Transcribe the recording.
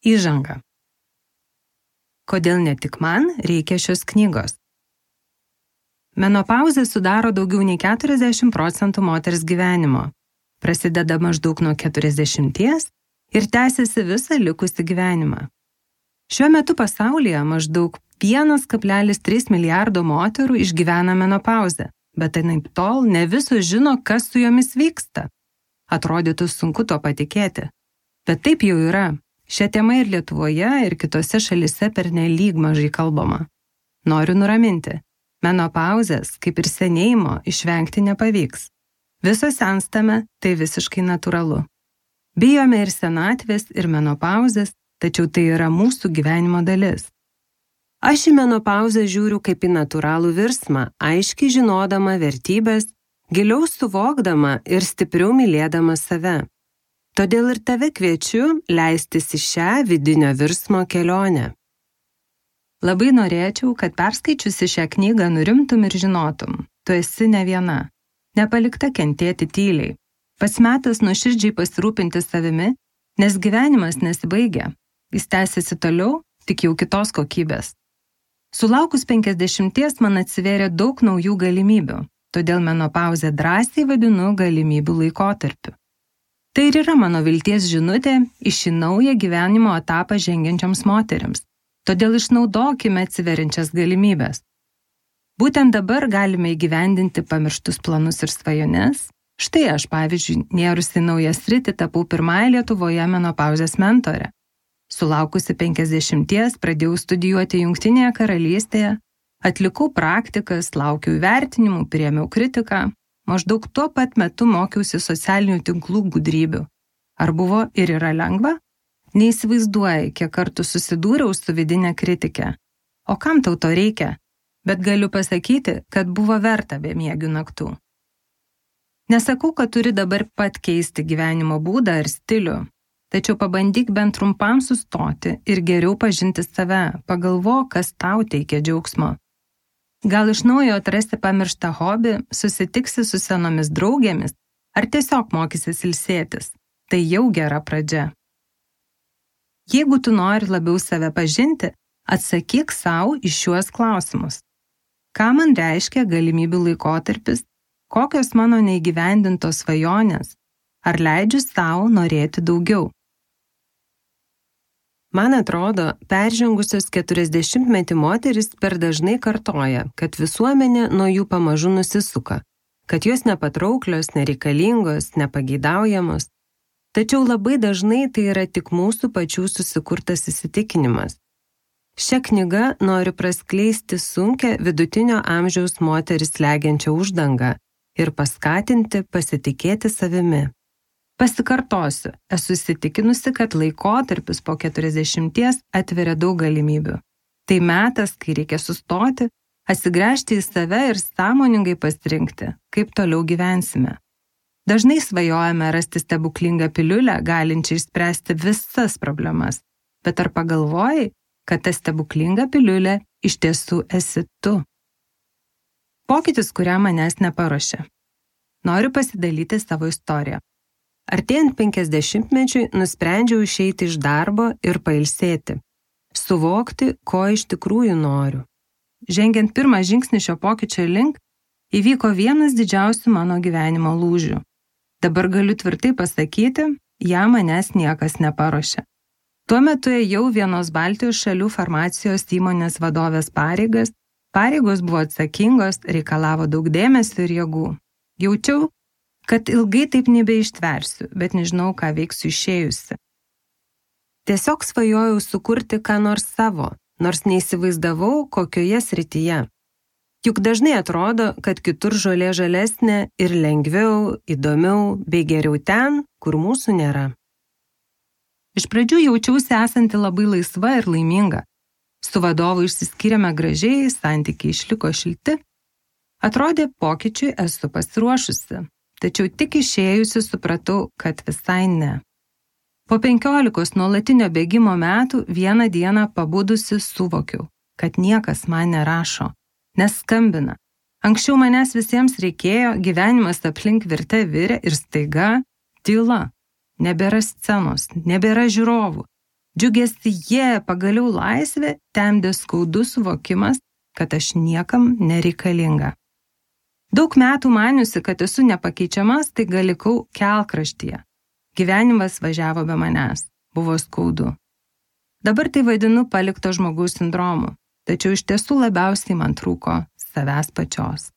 Įžanga. Kodėl ne tik man reikia šios knygos? Menopauzė sudaro daugiau nei 40% moters gyvenimo. Prasideda maždaug nuo 40 ir tęsiasi visą likusį gyvenimą. Šiuo metu pasaulyje maždaug 1,3 milijardo moterų išgyvena menopauzę, bet anaiptol ne visos žino, kas su jomis vyksta. Atrodytų sunku to patikėti. Bet taip jau yra. Šią temą ir Lietuvoje, ir kitose šalyse pernelyg mažai kalbama. Noriu nuraminti. Menopauzės, kaip ir senėjimo, išvengti nepavyks. Visos senstame, tai visiškai natūralu. Bijome ir senatvės, ir menopauzės, tačiau tai yra mūsų gyvenimo dalis. Aš į menopauzę žiūriu kaip į natūralų virsmą, aiškiai žinodama vertybės, giliau suvokdama ir stipriau mylėdama save. Todėl ir tave kviečiu leistis į šią vidinio virsmo kelionę. Labai norėčiau, kad perskaičiusi šią knygą nurimtum ir žinotum. Tu esi ne viena. Nepalikta kentėti tyliai. Pats metas nuoširdžiai pasirūpinti savimi, nes gyvenimas nesibaigia. Jis tęsiasi toliau, tik jau kitos kokybės. Sulaukus 50 man atsivėrė daug naujų galimybių, todėl menopauzę drąsiai vadinu galimybių laikotarpiu. Tai ir yra mano vilties žinutė į šį naują gyvenimo etapą žengiančioms moterims. Todėl išnaudokime atsiveriančias galimybės. Būtent dabar galime įgyvendinti pamirštus planus ir svajones. Štai aš, pavyzdžiui, nėrusi naują sritį tapau pirmąją Lietuvoje menopauzės mentore. Sulaukusi 50 pradėjau studijuoti Jungtinėje karalystėje, atlikau praktikas, laukiau įvertinimų, priėmiau kritiką. Maždaug tuo pat metu mokiausi socialinių tinklų gudrybių. Ar buvo ir yra lengva? Neįsivaizduoji, kiek kartų susidūriau su vidinė kritikė. O kam tau to reikia? Bet galiu pasakyti, kad buvo verta bemiegių naktų. Nesakau, kad turi dabar pat keisti gyvenimo būdą ar stilių, tačiau pabandyk bent trumpam sustoti ir geriau pažinti save, pagalvok, kas tau teikia džiaugsmo. Gal iš naujo atrasti pamirštą hobį, susitiksi su senomis draugėmis, ar tiesiog mokysis ilsėtis. Tai jau gera pradžia. Jeigu tu nori labiau save pažinti, atsakyk sau į šiuos klausimus. Ką man reiškia galimybių laikotarpis, kokios mano neįgyvendintos svajonės, ar leidžiu sau norėti daugiau. Man atrodo, peržengusios 40-metį moteris per dažnai kartoja, kad visuomenė nuo jų pamažu nusisuka, kad jos nepatrauklios, nereikalingos, nepageidaujamos. Tačiau labai dažnai tai yra tik mūsų pačių susikurtas įsitikinimas. Šią knygą noriu praskleisti sunkią vidutinio amžiaus moteris slegiančią uždangą ir paskatinti pasitikėti savimi. Pasikartosiu, esu įsitikinusi, kad laikotarpis po 40 atveria daug galimybių. Tai metas, kai reikia sustoti, atsigręžti į save ir sąmoningai pasirinkti, kaip toliau gyvensime. Dažnai svajojame rasti stebuklingą piliulę, galinčią išspręsti visas problemas, bet ar pagalvojai, kad ta stebuklinga piliulė iš tiesų esi tu? Pokytis, kuriam manęs neparuošė. Noriu pasidalyti savo istoriją. Artėjant 50-mečiui nusprendžiau išeiti iš darbo ir pailsėti. Suvokti, ko iš tikrųjų noriu. Žengiant pirmą žingsnį šio pokyčio link, įvyko vienas didžiausių mano gyvenimo lūžių. Dabar galiu tvirtai pasakyti, jam manęs niekas neparuošė. Tuo metu ėjau vienos Baltijos šalių farmacijos įmonės vadovės pareigas. Pareigos buvo atsakingos, reikalavo daug dėmesio ir jėgų. Jaučiau, kad ilgai taip nebeištversiu, bet nežinau, ką veiksiu išėjusi. Tiesiog svajojau sukurti ką nors savo, nors neįsivaizdavau, kokioje srityje. Juk dažnai atrodo, kad kitur žolė žalesnė ir lengviau, įdomiau bei geriau ten, kur mūsų nėra. Iš pradžių jaučiausi esanti labai laisva ir laiminga. Su vadovu išsiskyrėme gražiai, santykiai išliko šilti. Atrodė, pokyčiui esu pasiruošusi. Tačiau tik išėjusi supratau, kad visai ne. Po 15 nuolatinio bėgimo metų vieną dieną pabudusi suvokiau, kad niekas man nerašo, neskambina. Anksčiau manęs visiems reikėjo, gyvenimas aplink virte virė ir staiga tyla. Nebėra scenos, nebėra žiūrovų. Džiugesyje, pagaliau laisvė, temdė skaudus suvokimas, kad aš niekam nereikalinga. Daug metų maniusi, kad esu nepakeičiamas, tai likau kelkraštyje. Gyvenimas važiavo be manęs, buvo skaudu. Dabar tai vadinu palikto žmogaus sindromu, tačiau iš tiesų labiausiai man trūko savęs pačios.